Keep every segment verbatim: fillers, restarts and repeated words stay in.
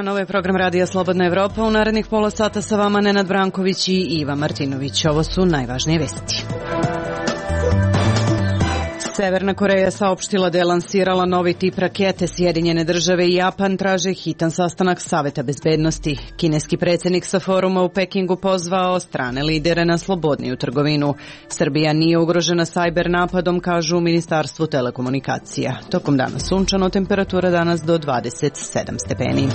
dan, ovo je program Radija Slobodna Evropa. U narednih pola sata sa vama Nenad Branković i Iva Martinović. Ovo su najvažnije vesti. Severna Koreja saopštila da je lansirala novi tip rakete. Sjedinjene države i Japan traže hitan sastanak Saveta bezbednosti. Kineski predsjednik sa foruma u Pekingu pozvao strane lidere na slobodniju trgovinu. Srbija nije ugrožena sajber napadom, kažu u Ministarstvu telekomunikacija. Tokom dana sunčano, temperatura danas do dvadeset sedam stepeni.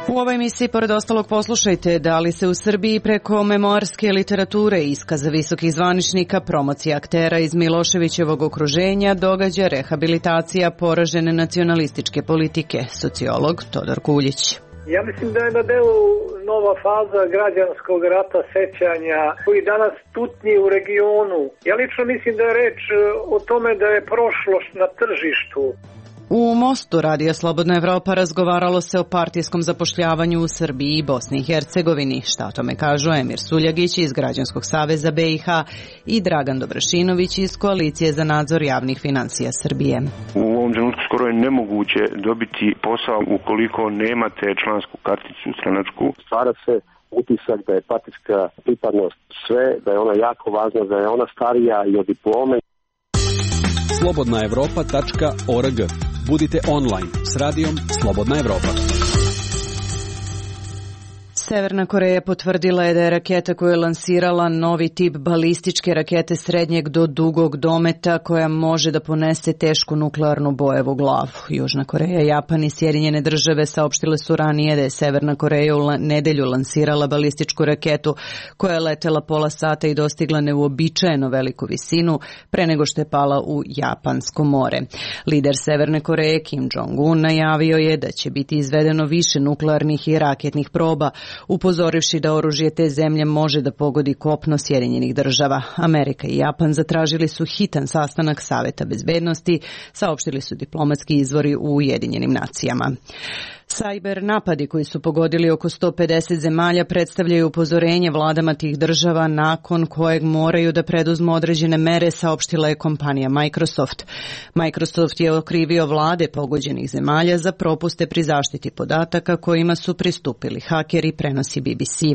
U ovoj emisiji, pored ostalog, poslušajte da li se u Srbiji preko memoarske literature i iskaza visokih zvaničnika, promocija aktera iz Miloševićevog okruženja, događa rehabilitacija poražene nacionalističke politike. Sociolog Todor Kuljić. Ja mislim da je na delu nova faza građanskog rata sećanja koji danas tutnji u regionu. Ja lično mislim da je reč o tome da je prošlost na tržištu. U Mostu Radija Slobodna Evropa razgovaralo se o partijskom zapošljavanju u Srbiji i Bosni i Hercegovini. Šta o tome kažu Emir Suljagić iz Građanskog saveza B i H i Dragan Dobrašinović iz Koalicije za nadzor javnih finansija Srbije. U ovom trenutku skoro je nemoguće dobiti posao ukoliko nemate člansku karticu stranačku. Stvara se utisak da je partijska pripadnost sve, da je ona jako važna, da je ona starija i od diplome. slobodna evropa tačka org. Budite online s radijom Slobodna Evropa. Severna Koreja potvrdila je da je raketa koju je lansirala novi tip balističke rakete srednjeg do dugog dometa koja može da ponese tešku nuklearnu bojevu glavu. Južna Koreja, Japan i Sjedinjene države saopštile su ranije da je Severna Koreja u nedelju lansirala balističku raketu koja je letela pola sata i dostigla neuobičajeno veliku visinu pre nego što je pala u Japansko more. Lider Severne Koreje Kim Jong-un najavio je da će biti izvedeno više nuklearnih i raketnih proba, upozorivši da oružje te zemlje može da pogodi kopno Sjedinjenih država. Amerika i Japan zatražili su hitan sastanak Saveta bezbednosti, saopštili su diplomatski izvori u Ujedinjenim nacijama. Sajber napadi koji su pogodili oko sto pedeset zemalja predstavljaju upozorenje vladama tih država nakon kojeg moraju da preduzmu određene mere, saopštila je kompanija Microsoft. Microsoft je okrivio vlade pogođenih zemalja za propuste pri zaštiti podataka kojima su pristupili hakeri, prenosi B B C.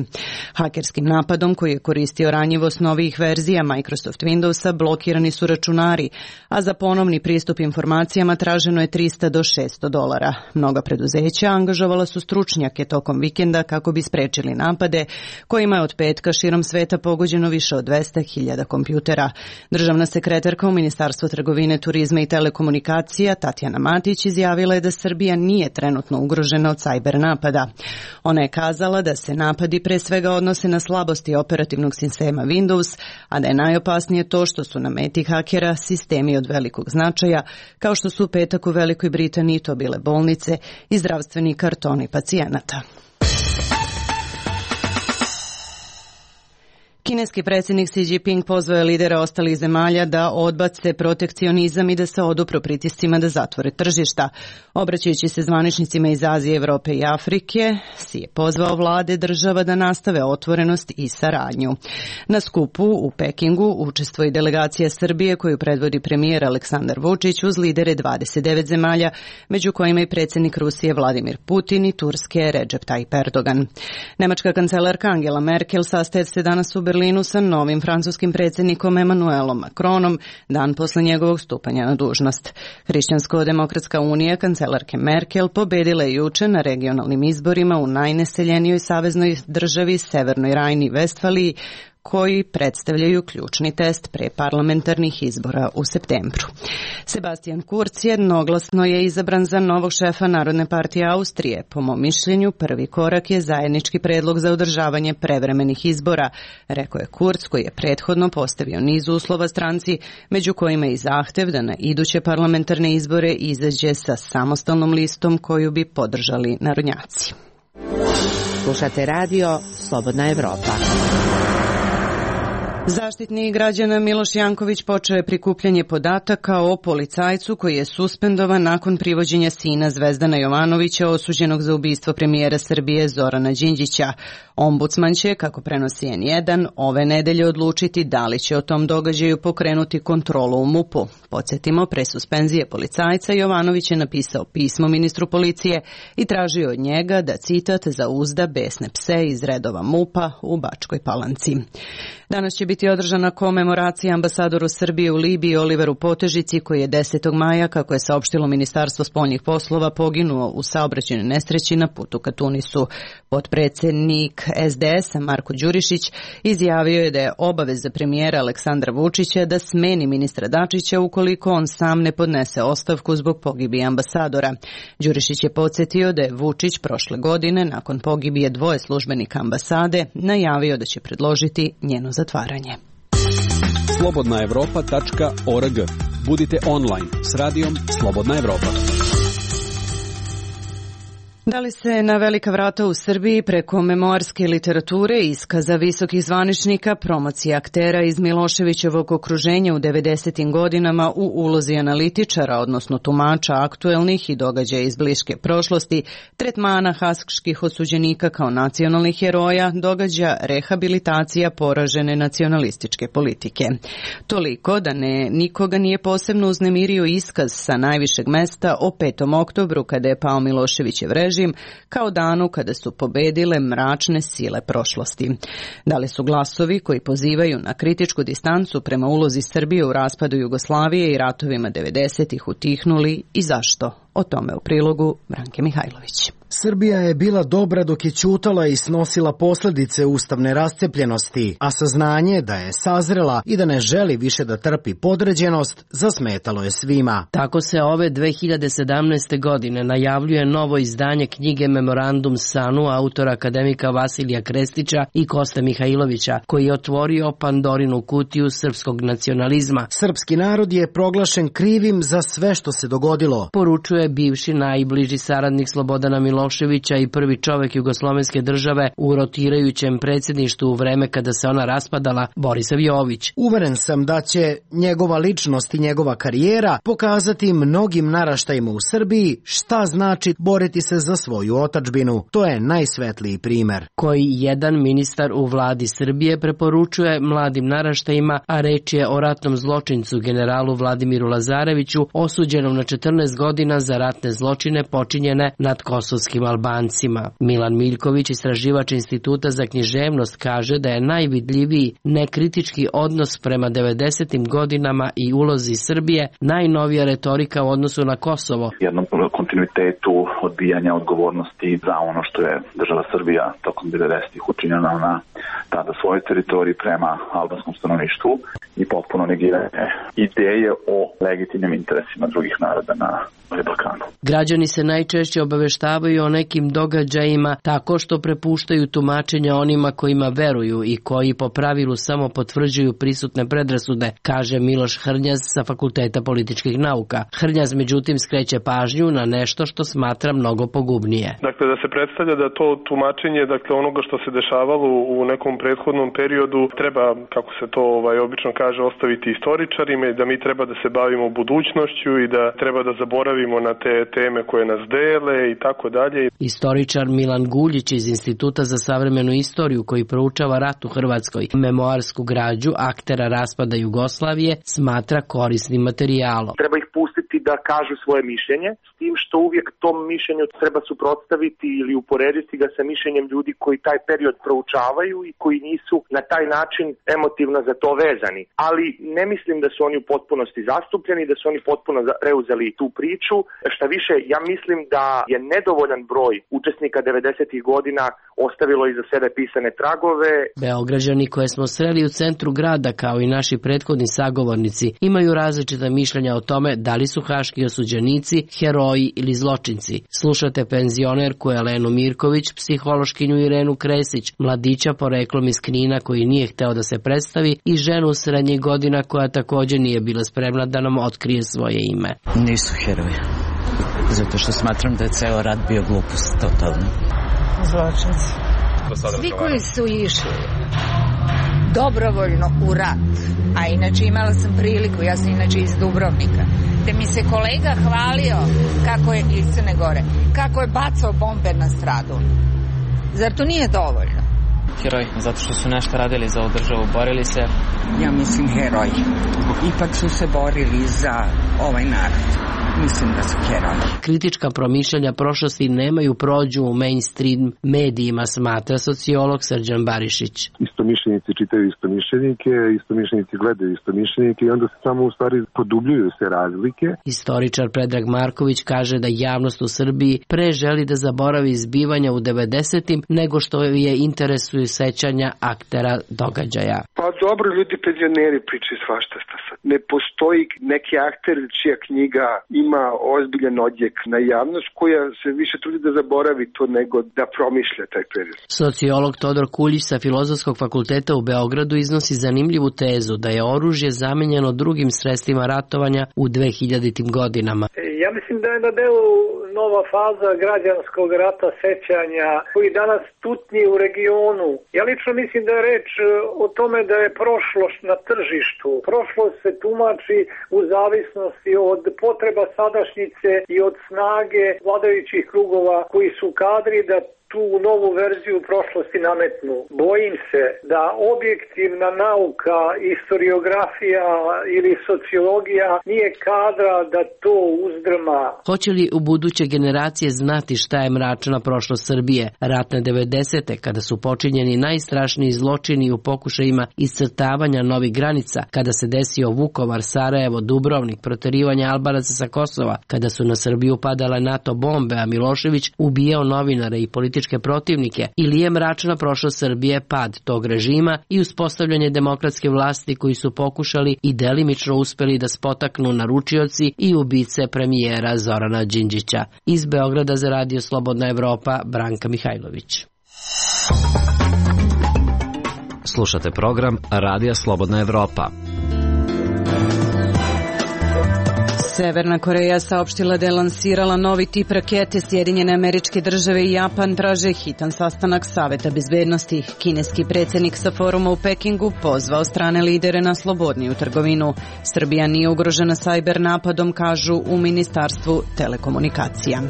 Hakerskim napadom koji je koristio ranjivost novih verzija Microsoft Windowsa blokirani su računari, a za ponovni pristup informacijama traženo je trista do šesto dolara. Mnoga preduzeća angažovala su stručnjake tokom vikenda kako bi sprečili napade, kojima je od petka širom sveta pogođeno više od dvesta hiljada kompjutera. Državna sekretarka u Ministarstvu trgovine, turizma i telekomunikacija Tatjana Matić izjavila je da Srbija nije trenutno ugrožena od sajber napada. Ona je kazala da se napadi pre svega odnose na slabosti operativnog sistema Windows, a da je najopasnije to što su na meti hakera sistemi od velikog značaja, kao što su u petak u Velikoj Britaniji to bile bolnice i zdravstveni kartoni pacijenata. Kineski predsjednik Xi Jinping pozvao je lidere ostalih zemalja da odbace protekcionizam i da se odupru pritiscima da zatvore tržišta. Obraćajući se zvaničnicima iz Azije, Evrope i Afrike, Xi je pozvao vlade država da nastave otvorenost i saradnju. Na skupu u Pekingu učestvuje i delegacija Srbije koju predvodi premijer Aleksandar Vučić uz lidere dvadeset devet zemalja, među kojima i predsjednik Rusije Vladimir Putin i Turske Recep Tayyip Erdogan. Nemačka kancelarka Angela Merkel sastaje se danas u Berlinu sa novim francuskim predsjednikom Emmanuelom Macronom dan posle njegovog stupanja na dužnost. Hrišćansko-demokratska unija kancelarke Merkel pobedila je juče na regionalnim izborima u najneseljenijoj saveznoj državi Severnoj Rajni-Vestfaliji, koji predstavljaju ključni test pre parlamentarnih izbora u septembru. Sebastian Kurz jednoglasno je izabran za novog šefa Narodne partije Austrije. Po mom mišljenju, prvi korak je zajednički predlog za održavanje prevremenih izbora, rekao je Kurz, koji je prethodno postavio niz uslova stranci, među kojima i zahtev da na iduće parlamentarne izbore izađe sa samostalnom listom koju bi podržali narodnjaci. Slušate radio Slobodna Evropa. Zaštitnik građana Miloš Janković počeo je prikupljanje podataka o policajcu koji je suspendovan nakon privođenja sina Zvezdana Jovanovića osuđenog za ubistvo premijera Srbije Zorana Đinđića. Ombudsman će, kako prenosi en jedan, ove nedelje odlučiti da li će o tom događaju pokrenuti kontrolu u MUP-u. Podsjetimo, pre suspenzije policajca Jovanović je napisao pismo ministru policije i tražio od njega da, citat, zauzda besne pse iz redova MUP-a u Bačkoj Palanci. Danas će biti održana komemoracija ambasadoru Srbije u Libiji Oliveru Potežici, koji je desetog maja, kako je saopštilo Ministarstvo spoljnih poslova, poginuo u saobraćajnoj nesreći na putu ka Tunisu. Potpredsednik es de es-a Marko Đurišić izjavio je da je obaveza premijera Aleksandra Vučića da smeni ministra Dačića ukoliko on sam ne podnese ostavku zbog pogibije ambasadora. Đurišić je podsjetio da je Vučić prošle godine, nakon pogibije dvoje službenika ambasade, najavio da će predložiti njeno zatvaranje. slobodna evropa tačka org. Budite online s radijom Slobodna Evropa. Da li se na velika vrata u Srbiji preko memoarske literature, iskaza visokih zvaničnika, promocija aktera iz Miloševićevog okruženja u devedesetim godinama u ulozi analitičara, odnosno tumača aktuelnih i događaja iz bliske prošlosti, tretmana haških osuđenika kao nacionalnih heroja, događa rehabilitacija poražene nacionalističke politike. Toliko da ne, nikoga nije posebno uznemirio iskaz sa najvišeg mesta o petom oktobru kada je pao Miloševićev režim, kao danu kada su pobedile mračne sile prošlosti. Da li su glasovi koji pozivaju na kritičku distancu prema ulozi Srbije u raspadu Jugoslavije i ratovima devedesetih utihnuli i zašto? O tome u prilogu Branke Mihajlović. Srbija je bila dobra dok je ćutala i snosila posledice ustavne rascepljenosti, a saznanje da je sazrela i da ne želi više da trpi podređenost zasmetalo je svima. Tako se ove dve hiljade sedamnaeste. godine najavljuje novo izdanje knjige Memorandum Sanu autora akademika Vasilija Krestića i Koste Mihajlovića, koji je otvorio Pandorinu kutiju srpskog nacionalizma. Srpski narod je proglašen krivim za sve što se dogodilo, poručuje bivši najbliži saradnik Slobodana Miloševića i prvi čovek jugoslovenske države u rotirajućem predsjedništvu u vreme kada se ona raspadala, Borisav Jović. Uveren sam da će njegova ličnost i njegova karijera pokazati mnogim naraštajima u Srbiji šta znači boriti se za svoju otadžbinu. To je najsvetliji primer. Koji jedan ministar u vladi Srbije preporučuje mladim naraštajima, a reč je o ratnom zločincu generalu Vladimiru Lazareviću, osuđenom na četrnaest godina za ratne zločine počinjene nad kosovskim Albancima. Milan Miljković, istraživač Instituta za književnost, kaže da je najvidljiviji nekritički odnos prema devedesetim godinama i ulozi Srbije najnovija retorika u odnosu na Kosovo. Jednom kontinuitetu odbijanja odgovornosti za ono što je država Srbija tokom devedesetih učinjena na tada svojoj teritoriji prema albanskom stanovništvu i potpuno negiranje ideje o legitimnim interesima drugih naroda na Balkanu. Građani se najčešće obaveštavaju o nekim događajima tako što prepuštaju tumačenja onima kojima veruju i koji po pravilu samo potvrđuju prisutne predrasude, kaže Miloš Hrnjaz sa Fakulteta političkih nauka. Hrnjaz međutim skreće pažnju na nešto što smatra mnogo pogubnije. Dakle, da se predstavlja da to tumačenje, dakle onoga što se dešavalo u nekom prethodnom periodu, treba, kako se to ovaj obično kaže, ostaviti istoričarima i da mi treba da se bavimo budućnošću i da treba da zaboravimo na te teme koje nas dele i tako dalje. Istoričar Milan Guljić iz Instituta za savremenu istoriju, koji proučava rat u Hrvatskoj, memoarsku građu aktera raspada Jugoslavije, smatra korisnim materijalom. Treba ih pustiti da kažu svoje mišljenje, s tim što uvijek tom mišljenju treba suprotstaviti ili uporediti ga sa mišljenjem ljudi koji taj period proučavaju i koji nisu na taj način emotivno za to vezani. Ali ne mislim da su oni u potpunosti zastupljeni, da su oni potpuno preuzeli tu priču. Šta više, ja mislim da je nedovoljan broj učesnika devedesetih godina ostavilo iza sebe pisane tragove. Beograđani koje smo sreli u centru grada, kao i naši prethodni sagovornici, imaju različita mišljenja o tome da li su haški osuđenici heroji ili zločinci. Slušate penzionerku Elenu Mirković, psihološkinju Irenu Kresić, mladića poreklom iz Knina koji nije hteo da se predstavi i ženu srednjih godina koja također nije bila spremna da nam otkrije svoje ime. Nisu heroji. Zato što smatram da je ceo rat bio glupost, totalno. Zločinci. Svi koji su išli dobrovoljno u rat, a inače imala sam priliku, ja sam inače iz Dubrovnika, da mi se kolega hvalio kako je iz Crne Gore, kako je bacao bombe na stradu. Zar to nije dovoljno? Heroj, zato što su nešto radili za ovu državu, borili se. Ja mislim heroj. Ipak su se borili za ovaj narod. Mislim da su heroji. Kritička promišljanja prošlosti nemaju prođu u mainstream medijima, smatra sociolog Srđan Barišić. Istomišljenici čitaju istomišljenike, istomišljenici gledaju istomišljenike i onda se samo u stvari produbljuju se razlike. Istoričar Predrag Marković kaže da javnost u Srbiji pre želi da zaboravi zbivanja u devedesetim nego što je interesuju sećanja aktera događaja. Pa dobro, ljudi penzioneri pričaju svašta šta sad. Ne postoji neki akter čija knjiga ima ozbiljan odjek na javnost koja se više trudi da zaboravi to nego da promišlja taj period. Sociolog Todor Kuljić sa Filozofskog fakulteta u Beogradu iznosi zanimljivu tezu da je oružje zamenjeno drugim sredstvima ratovanja u dvehiljaditim godinama. Ja mislim da je na delu nova faza građanskog rata sećanja koji danas tutnji u regionu. Ja lično mislim da je reč o tome da je prošlost na tržištu. Prošlost se tumači u zavisnosti od potreba sadašnjice i od snage vladajućih krugova koji su kadri da tu novu verziju prošlosti nametnu. Bojim se da objektivna nauka, historiografija ili sociologija nije kadra da to uzdrma. Hoće li u buduće generacije znati šta je mračna prošlost Srbije? Ratne devedesete, kada su počinjeni najstrašniji zločini u pokušajima iscrtavanja novih granica, kada se desio Vukovar, Sarajevo, Dubrovnik, proterivanje Albanaca sa Kosova, kada su na Srbiju padale NATO bombe, a Milošević ubijao novinare i političke protivnike, ili je mračna prošlost Srbije pad tog režima i uspostavljanje demokratske vlasti koji su pokušali i delimično uspeli da spotaknu naručioci i ubice premijera Zorana Đinđića. Iz Beograda za Radio Slobodna Evropa, Branka Mihajlović. Slušate program Radija Slobodna Evropa. Severna Koreja saopštila da je lansirala novi tip rakete. Sjedinjene Američke Države i Japan traže hitan sastanak Saveta bezbednosti. Kineski predsjednik sa foruma u Pekingu pozvao strane lidere na slobodniju trgovinu. Srbija nije ugrožena sajber napadom, kažu u Ministarstvu telekomunikacija.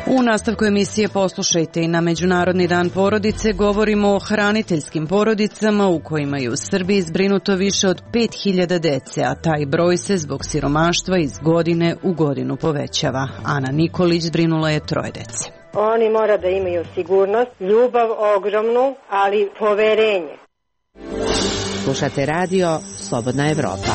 U nastavku emisije poslušajte i na Međunarodni dan porodice govorimo o hraniteljskim porodicama u kojima je u Srbiji zbrinuto više od pet hiljada dece, a taj broj se zbog siromaštva iz godine u godinu povećava. Ana Nikolić zbrinula je troje dece. Oni mora da imaju sigurnost, ljubav ogromnu, ali poverenje. Slušate radio Slobodna Evropa.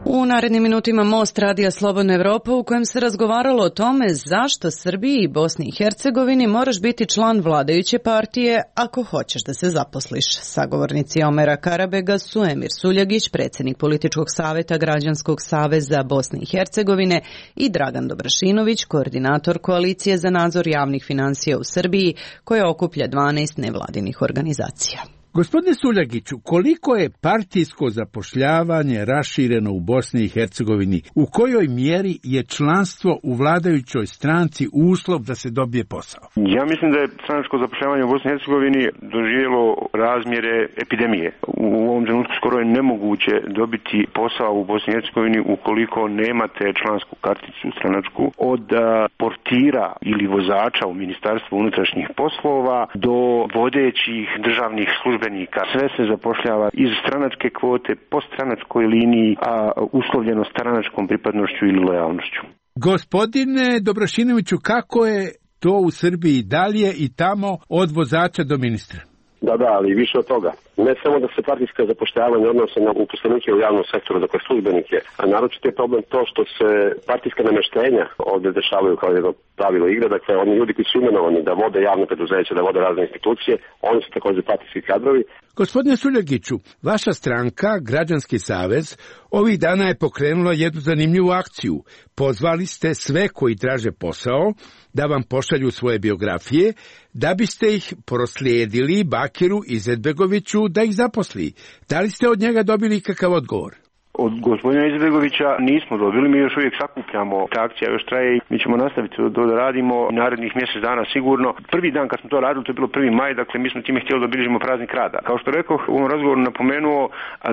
U narednim minutima Most Radija Slobodna Evropa u kojem se razgovaralo o tome zašto Srbiji i Bosni i Hercegovini moraš biti član vladajuće partije ako hoćeš da se zaposliš. Sagovornici Omera Karabega su Emir Suljagić, predsjednik Političkog saveta Građanskog saveza Bosne i Hercegovine, i Dragan Dobrašinović, koordinator Koalicije za nadzor javnih finansija u Srbiji, koja okuplja dvanaest nevladinih organizacija. Gospodine Suljagiću, koliko je partijsko zapošljavanje rašireno u Bosni i Hercegovini? U kojoj mjeri je članstvo u vladajućoj stranci uslov da se dobije posao? Ja mislim da je stranačko zapošljavanje u Bosni i Hercegovini doživjelo razmjere epidemije. U ovom trenutku skoro je nemoguće dobiti posao u Bosni i Hercegovini ukoliko nemate člansku karticu stranačku, od portira ili vozača u Ministarstvu unutrašnjih poslova do vodećih državnih službenika. Sve se zapošljava iz stranačke kvote po stranačkoj liniji, a uslovljeno stranačkom pripadnošću ili lojalnošću. Gospodine Dobrašinoviću, kako je to u Srbiji? Da li je i tamo od vozača do ministra? Da, da, ali više od toga. Ne samo da se partijska zapošljavanja odnose na uposlenike u javnom sektoru, dakle službenike, a naročito je problem to što se partijska nameštenja ovdje dešavaju kao jedno pravilo igre, dakle oni ljudi koji su imenovani da vode javne preduzeće, da vode razne institucije, oni su također partijski kadrovi. Gospodine Suljagiću, vaša stranka, Građanski savez, ovih dana je pokrenula jednu zanimljivu akciju. Pozvali ste sve koji traže posao da vam pošalju svoje biografije, da biste ih proslijedili Bakiru Izetbegoviću da ih zaposli. Da li ste od njega dobili kakav odgovor? Od gospodina Izetbegovića nismo dobili, mi još uvijek sakupljamo, ta akcija još traje i mi ćemo nastaviti to da radimo narednih mjesec dana sigurno. Prvi dan kad smo to radili, to je bilo prvi maj, dakle mi smo time htjeli da obilježimo praznik rada. Kao što rekao, u ovom razgovoru napomenuo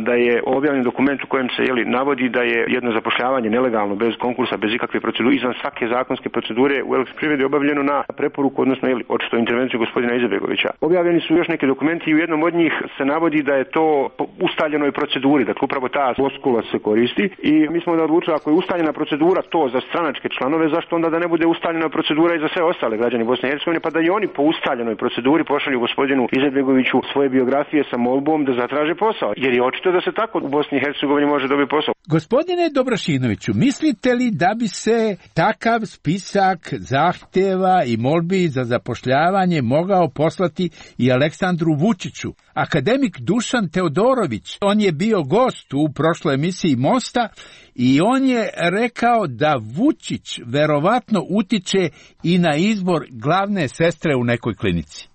da je objavljen dokument u kojem se jeli, navodi da je jedno zapošljavanje nelegalno, bez konkursa, bez ikakve procedure, izvan svake zakonske procedure u Elektroprivredi obavljeno na preporuku, odnosno jeli, očito intervenciju gospodina Izetbegovića. Objavljeni su još neki dokumenti i u jednom od njih se navodi da je to po ustaljenoj proceduri, dakle upravo ta floskula se koristi i mi smo da odlučili ako je ustaljena procedura to za stranačke članove, zašto onda da ne bude ustaljena procedura i za sve ostale građane Bosne i Hercegovine, pa da i oni po ustaljenoj proceduri pošalju gospodinu Izetbegoviću svoje biografije sa molbom da zatraže posao, jer je očito da se tako u Bosni i Hercegovini može dobiti posao. Gospodine Dobrašinoviću, mislite li da bi se takav spisak zahtjeva i molbi za zapošljavanje mogao poslati i Aleksandru Vučiću? Akademik Dušan Teodorović, on je bio gost u prošloj emisiji Mosta i on je rekao da Vučić verovatno utiče i na izbor glavne sestre u nekoj klinici.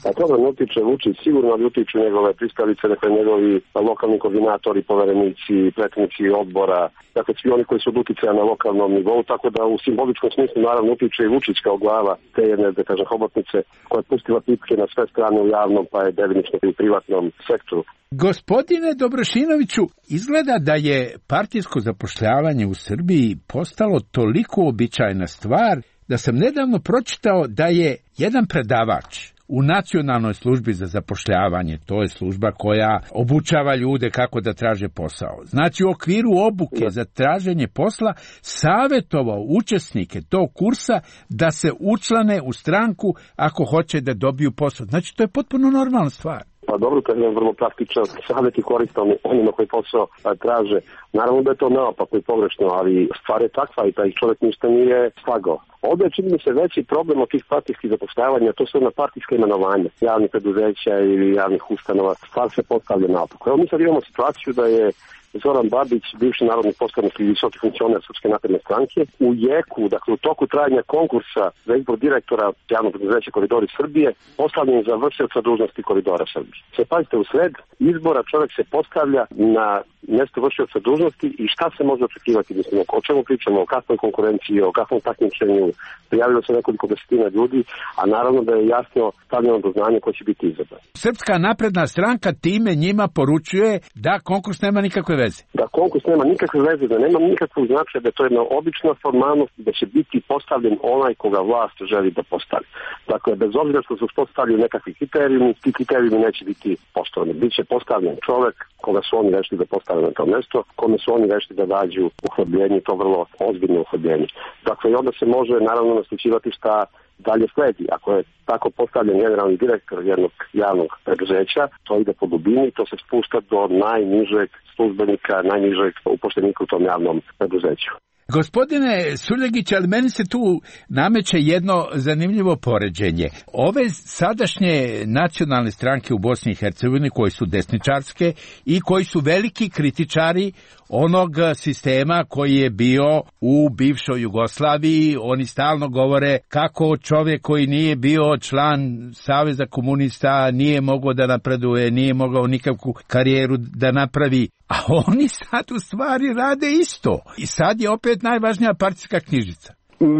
A toga ne utiče Vučić, sigurno ali utiču njegove pristalice, dakle njegovi lokalni koordinatori, poverenici, predsjednici odbora, dakle svi oni koji su od uticaja na lokalnom nivou, tako da u simboličkom smislu naravno utiče i Vučić kao glava te jedne, da kažem, hobotnice koja je pustila pipke na sve strane u javnom, pa je delimično i u privatnom sektoru. Gospodine Dobrašinoviću, izgleda da je partijsko zapošljavanje u Srbiji postalo toliko običajna stvar da sam nedavno pročitao da je jedan predavač u Nacionalnoj službi za zapošljavanje, to je služba koja obučava ljude kako da traže posao. Znači u okviru obuke za traženje posla savjetovao učesnike tog kursa da se učlane u stranku ako hoće da dobiju posao. Znači to je potpuno normalna stvar. Pa dobro, to je vrlo praktičan savjet i koristan onima koji posao traže. Naravno da je to naopako i pogrešno, ali stvar je takva i taj čovjek ništa nije slagao. Ovdje je čini mi se veći problem od tih partijskih zapošljavanja, to su ona partijska imenovanja javnih preduzeća ili javnih ustanova. Stvar se postavlja naopako. Evo mi sad imamo situaciju da je Zoran Babić, bivši narodni poslanik i visoki funkcioner Srpske napredne stranke, u jeku, dakle u toku trajanja konkursa za izbor direktora javnog preduzeća Koridori Srbije, postavljen za vršioca dužnosti Koridora Srbije. Se pazite, u sred izbora čovjek se postavlja na mjesto vršioca dužnosti i šta se može očekivati, mislim, o čemu pričamo, o kakvoj konkurenciji, o kakvom takmičenju, prijavilo se nekoliko desetina ljudi, a naravno da je jasno stavljeno do znanja ko će biti izabran. Srpska napredna stranka time njima poručuje da konkurs nema nikakve veze. Da konkurs nema nikakve veze, da nema nikakvog značaja, da je to jedna obična formalnost, da će biti postavljen onaj koga vlast želi da postavi. Dakle, bez obzira što su postavljeni nekakvi kriterijumi, ti kriterijumi neće biti postavljeni. Biće postavljen čovjek koga su oni rešili da postave na to mjesto, kome su oni rešili da dađu uhljebljenje, to vrlo ozbiljno uhljebljenje. Dakle, i onda se može naravno naslučivati šta dalje sledi. Ako je tako postavljen generalni direktor jednog javnog preduzeća, to ide po dubini, to se spušta do najnižeg službenika, najnižeg upošljenika u tom javnom preduzeću. Gospodine Suljegić, ali meni se tu nameće jedno zanimljivo poređenje. Ove sadašnje nacionalne stranke u Bosni i Hercegovini koji su desničarske i koji su veliki kritičari onog sistema koji je bio u bivšoj Jugoslaviji, oni stalno govore kako čovjek koji nije bio član Saveza komunista nije mogao da napreduje, nije mogao nikakvu karijeru da napravi. A oni sad u stvari rade isto. I sad je opet najvažnija partijska knjižica.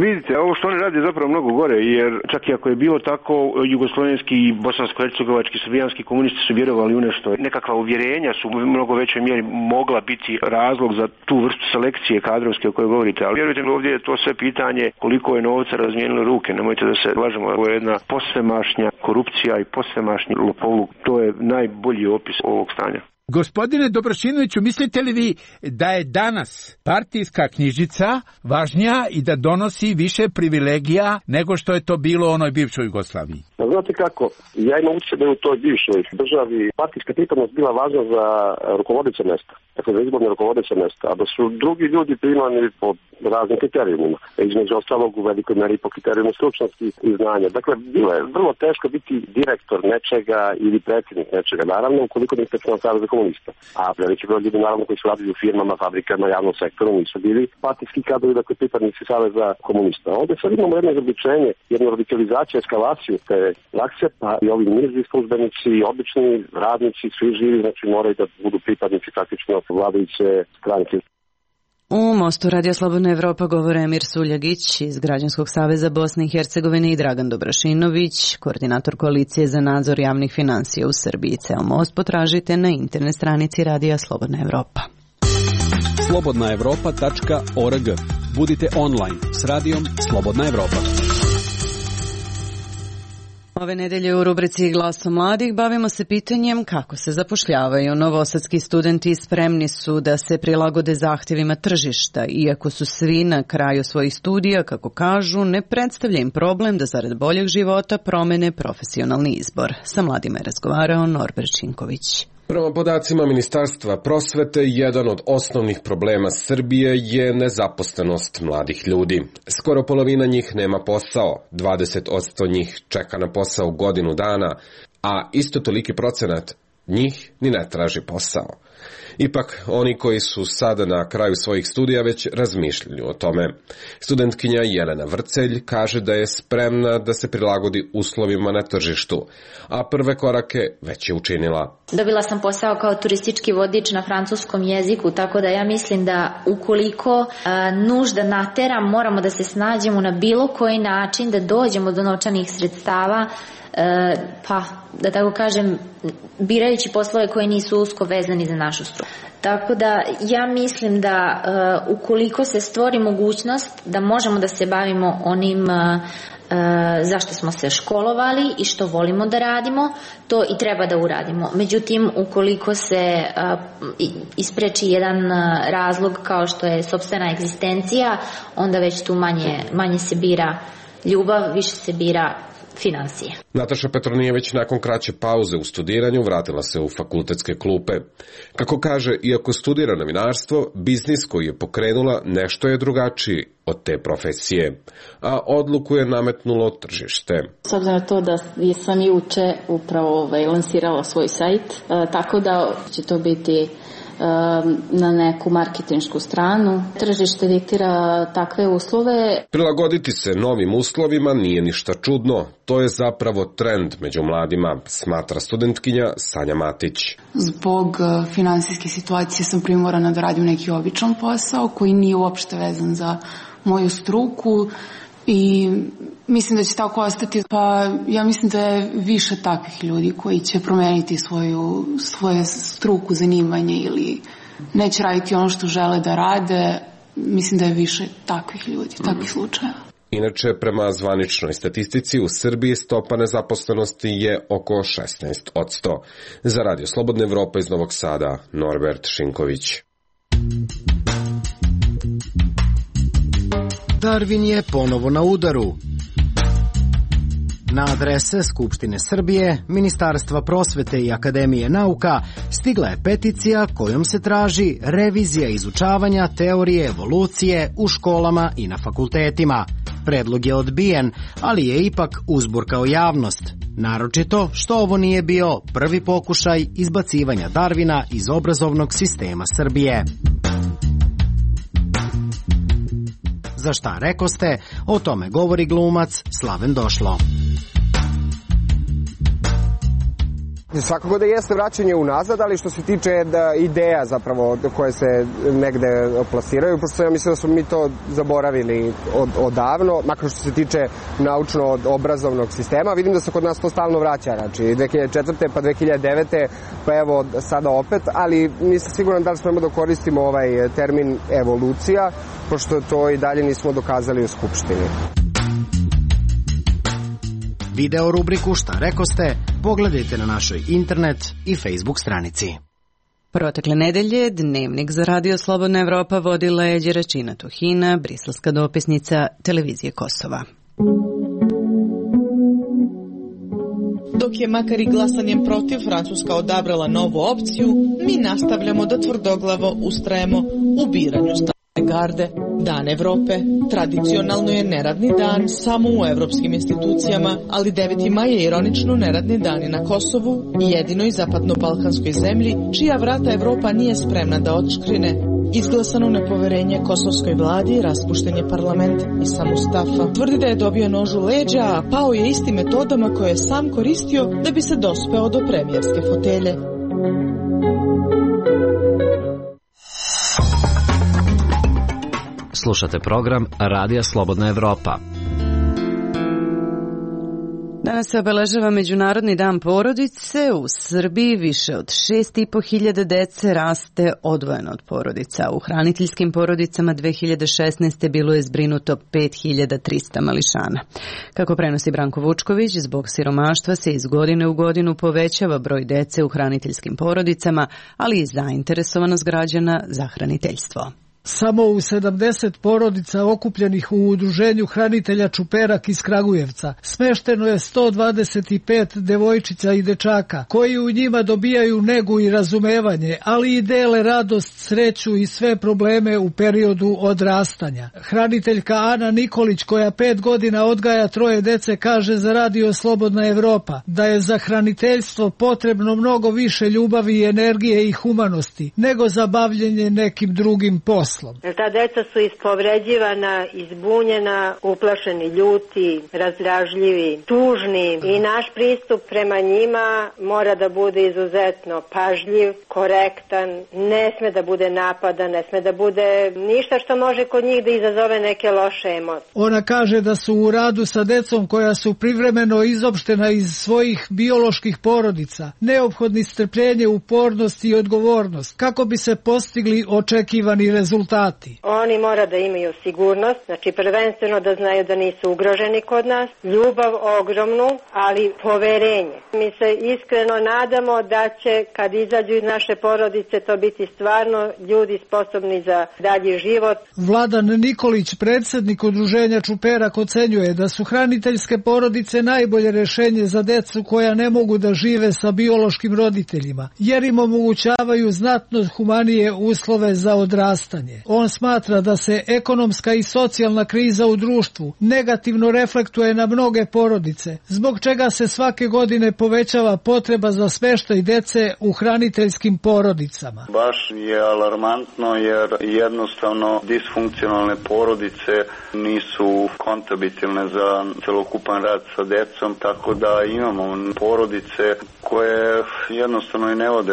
Vidite, ovo što oni rade je zapravo mnogo gore, jer čak i ako je bilo tako, jugoslovenski, bosansko-hercegovački, srbijanski komunisti su vjerovali u nešto. Nekakva uvjerenja su u mnogo većoj mjeri mogla biti razlog za tu vrstu selekcije kadrovske o kojoj govorite. Ali vjerujte mi, ovdje je to sve pitanje koliko je novca razmijenilo ruke. Nemojte da se lažemo, ovo je jedna posvemašnja korupcija i posvemašnji lopovluk. To je najbolji opis ovog stanja. Gospodine Dobrašinoviću, mislite li vi da je danas partijska knjižica važnija i da donosi više privilegija nego što je to bilo u onoj bivšoj Jugoslaviji? Znate kako, ja imam utjecaj da je u toj bivšoj državi partijska pripadnost bila važna za rukovodeće mjesta, dakle za izborne rukovodeće mjesta, a da su drugi ljudi primani po raznim kriterijumima, između ostalog u velikoj meri po kriterijumu stručnosti i znanja. Dakle, bilo je vrlo teško biti direktor nečega ili predsjednik nečega, naravno, ukoliko niste član Saveza komunista. A veliki broj ljudi naravno koji su radili u firmama, fabrikama, javnom sektoru nisu bili partijski kadrovi, dakle pripadnici Saveza komunista. Ovde sad imamo jedno izobličenje, jednu radikalizaciju, eskalaciju te prakse, pa i ovi niži službenici, obični radnici, svi živi, znači moraju da budu pripadnici praktično vladajuće stranke. U Mostu Radio Slobodna Evropa govore Emir Suljagić iz Građanskog saveza Bosne i Hercegovine i Dragan Dobrašinović, koordinator koalicije za nadzor javnih finansija u Srbiji. Ceo Most potražite na internet stranici Radija Slobodna Evropa. slobodna evropa tačka org. Budite online s Radijom Slobodna Evropa. Ove nedelje u rubrici Glasom mladih bavimo se pitanjem kako se zapošljavaju. Novosadski studenti spremni su da se prilagode zahtjevima tržišta, iako su svi na kraju svojih studija, kako kažu, ne predstavlja im problem da zarad boljeg života promene profesionalni izbor. Sa mladima je razgovarao Norbert Činković. Prema podacima Ministarstva prosvete, jedan od osnovnih problema Srbije je nezaposlenost mladih ljudi. Skoro polovina njih nema posao, dvadeset posto njih čeka na posao godinu dana, a isto toliki procenat njih ni ne traži posao. Ipak, oni koji su sada na kraju svojih studija već razmišljaju o tome. Studentkinja Jelena Vrcelj kaže da je spremna da se prilagodi uslovima na tržištu, a prve korake već je učinila. Dobila sam posao kao turistički vodič na francuskom jeziku, tako da ja mislim da ukoliko a, nužda natera, moramo da se snađemo na bilo koji način da dođemo do novčanih sredstava, e, pa da tako kažem, birajući poslove koji nisu usko vezani za našu struku. Tako da ja mislim da uh, ukoliko se stvori mogućnost da možemo da se bavimo onim uh, uh, zašto smo se školovali i što volimo da radimo, to i treba da uradimo. Međutim, ukoliko se uh, ispreči jedan uh, razlog kao što je sopstvena egzistencija, onda već tu manje, manje se bira ljubav, više se bira finansije. Nataša Petronijević nakon kraće pauze u studiranju vratila se u fakultetske klupe. Kako kaže, iako studira novinarstvo, biznis koji je pokrenula nešto je drugačiji od te profesije, a odluku je nametnulo tržište. S obzirom na to da sam juče upravo ovaj, lansirala svoj sajt, tako da će to biti na neku marketinšku stranu. Tržište diktira takve uslove. Prilagoditi se novim uslovima nije ništa čudno. To je zapravo trend među mladima, smatra studentkinja Sanja Matić. Zbog finansijske situacije sam primorana da radim neki običan posao koji nije uopšte vezan za moju struku i mislim da će tako ostati. Pa ja mislim da je više takvih ljudi koji će promeniti svoju, svoju struku, zanimanje ili neće raditi ono što žele da rade. Mislim da je više takvih ljudi, takvih slučajeva. Inače, prema zvaničnoj statistici, u Srbiji stopa nezaposlenosti je oko šesnaest posto. Za Radio Slobodna Evropa iz Novog Sada, Norbert Šinković. Darvin je ponovo na udaru. Na adrese Skupštine Srbije, Ministarstva prosvete i Akademije nauka stigla je peticija kojom se traži revizija izučavanja teorije evolucije u školama i na fakultetima. Predlog je odbijen, ali je ipak uzburkao javnost. Naročito što ovo nije bio prvi pokušaj izbacivanja Darvina iz obrazovnog sistema Srbije. Za šta rekoste, o tome govori glumac Slaven Došlo. Svakako da jeste vraćanje unazad, ali što se tiče da ideja zapravo koje se negde plasiraju, pošto ja mislim da smo mi to zaboravili od, odavno, makar što se tiče naučno-obrazovnog sistema. Vidim da se kod nas to stalno vraća, znači dve hiljade četvrte pa dve hiljade devete pa evo sada opet, ali nisam siguran da li smemo da koristimo ovaj termin evolucija, pošto to i dalje nismo dokazali u Skupštini. Video rubriku Šta rekoste pogledajte na našoj internet i Facebook stranici. Protekle nedelje Dnevnik za Radio Slobodna Evropa vodila je Đeračina Tuhina, briselska dopisnica Televizije Kosova. Dok je makar i glasanjem protiv Francuska odabrala novu opciju, mi nastavljamo da tvrdoglavo ustrajemo u biranju stava. garde. Dan Evrope tradicionalno je neradni dan samo u evropskim institucijama, ali deveti maj je ironično neradni dan i na Kosovu i jedinoj zapadno-balkanskoj zemlji čija vrata Evropa nije spremna da otškrine. Izglasano nepoverenje kosovskoj vladi, raspušten je parlament i sam Mustafa tvrdi da je dobio nož u leđa, a pao je istim metodama koje je sam koristio da bi se dospeo do premijerske fotelje. Slušate program Radija Slobodna Evropa. Danas se obeležava Međunarodni dan porodice. U Srbiji više od šest i po hiljada dece raste odvojeno od porodica. U hraniteljskim porodicama dve hiljade šesnaeste. bilo je zbrinuto pet hiljada trista mališana. Kako prenosi Branko Vučković, zbog siromaštva se iz godine u godinu povećava broj dece u hraniteljskim porodicama, ali i zainteresovanost građana za hraniteljstvo. Samo u sedamdeset porodica okupljenih u udruženju hranitelja Čuperak iz Kragujevca smešteno je sto dvadeset pet devojčica i dečaka koji u njima dobijaju negu i razumevanje, ali i dele radost, sreću i sve probleme u periodu odrastanja. Hraniteljka Ana Nikolić, koja pet godina odgaja troje dece, kaže za Radio Slobodna Evropa da je za hraniteljstvo potrebno mnogo više ljubavi i energije i humanosti nego za bavljenje nekim drugim poslom. Jer ta deca su ispovređivana, izbunjena, uplašeni, ljuti, razdražljivi, tužni i naš pristup prema njima mora da bude izuzetno pažljiv, korektan, ne sme da bude napada, ne sme da bude ništa što može kod njih da izazove neke loše emocije. Ona kaže da su u radu sa decom koja su privremeno izopštena iz svojih bioloških porodica neophodni strpljenje, upornost i odgovornost kako bi se postigli očekivani rezultati. Oni mora da imaju sigurnost, znači prvenstveno da znaju da nisu ugroženi kod nas, ljubav ogromnu, ali poverenje. Mi se iskreno nadamo da će kad izađu iz naše porodice to biti stvarno ljudi sposobni za dalji život. Vladan Nikolić, predsjednik udruženja Čuperak, ocenjuje da su hraniteljske porodice najbolje rješenje za decu koja ne mogu da žive sa biološkim roditeljima, jer im omogućavaju znatno humanije uslove za odrastanje. On smatra da se ekonomska i socijalna kriza u društvu negativno reflektuje na mnoge porodice, zbog čega se svake godine povećava potreba za smještaj dece u hraniteljskim porodicama. Baš je alarmantno jer jednostavno disfunkcionalne porodice nisu kompatibilne za celokupan rad sa decom, tako da imamo porodice koje jednostavno i ne vode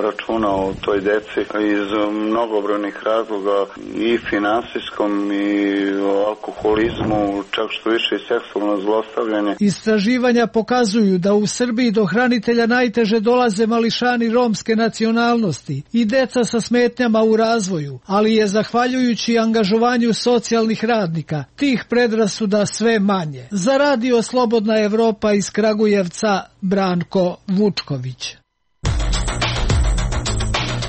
računa o toj deci iz mnogobrojnih razloga, i finansijskom i alkoholizmu, čak što više i seksualno zlostavljanje. Istraživanja pokazuju da u Srbiji do hranitelja najteže dolaze mališani romske nacionalnosti i deca sa smetnjama u razvoju, ali je zahvaljujući angažovanju socijalnih radnika tih predrasuda sve manje. Za Radio Slobodna Evropa iz Kragujevca, Branko Vučković.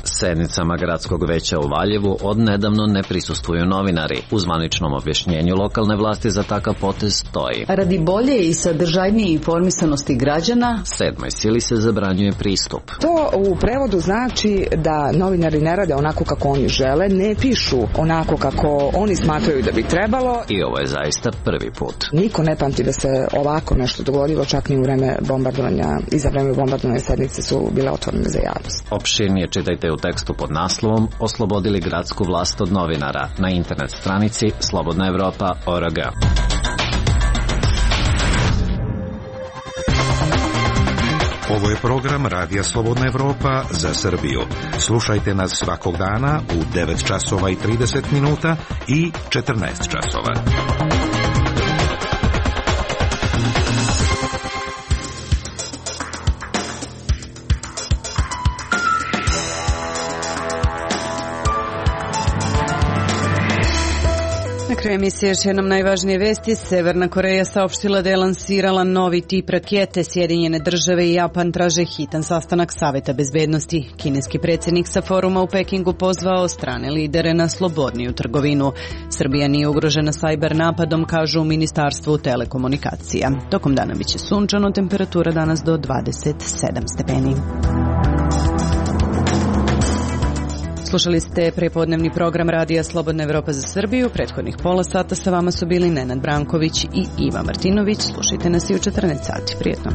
Sednicama gradskog veća u Valjevu odnedavno ne prisustvuju novinari. U zvaničnom objašnjenju lokalne vlasti za takav potez stoji: radi bolje i sadržajnije informisanosti građana sedmoj sili se zabranjuje pristup. To u prevodu znači da novinari ne rade onako kako oni žele, ne pišu onako kako oni smatraju da bi trebalo. I ovo je zaista prvi put. Niko ne pamti da se ovako nešto dogodilo, čak ni u vreme bombardovanja. I za vreme bombardovanja sednice su bile otvorene za javnost. Opširnije čitajte u tekstu pod naslovom Oslobodili gradsku vlast od novinara na internet stranici slobodna evropa tačka org. Ovo je program Radija Slobodna Evropa za Srbiju. Slušajte nas svakog dana u devet časova i trideset minuta i četrnaest časova. Na kraju emisije još jednom najvažnije vesti. Severna Koreja saopštila da je lansirala novi tip rakete. Sjedinjene države i Japan traže hitan sastanak Saveta bezbednosti. Kineski predsjednik sa foruma u Pekingu pozvao strane lidere na slobodniju trgovinu. Srbija nije ugrožena sajber napadom, kažu u Ministarstvu telekomunikacija. Tokom dana biće sunčano, temperatura danas do dvadeset sedam stepeni. Slušali ste prepodnevni program Radija Slobodna Evropa za Srbiju. Prethodnih pola sata sa vama su bili Nenad Branković i Iva Martinović. Slušajte nas i u četrnaest sati. Prijetno.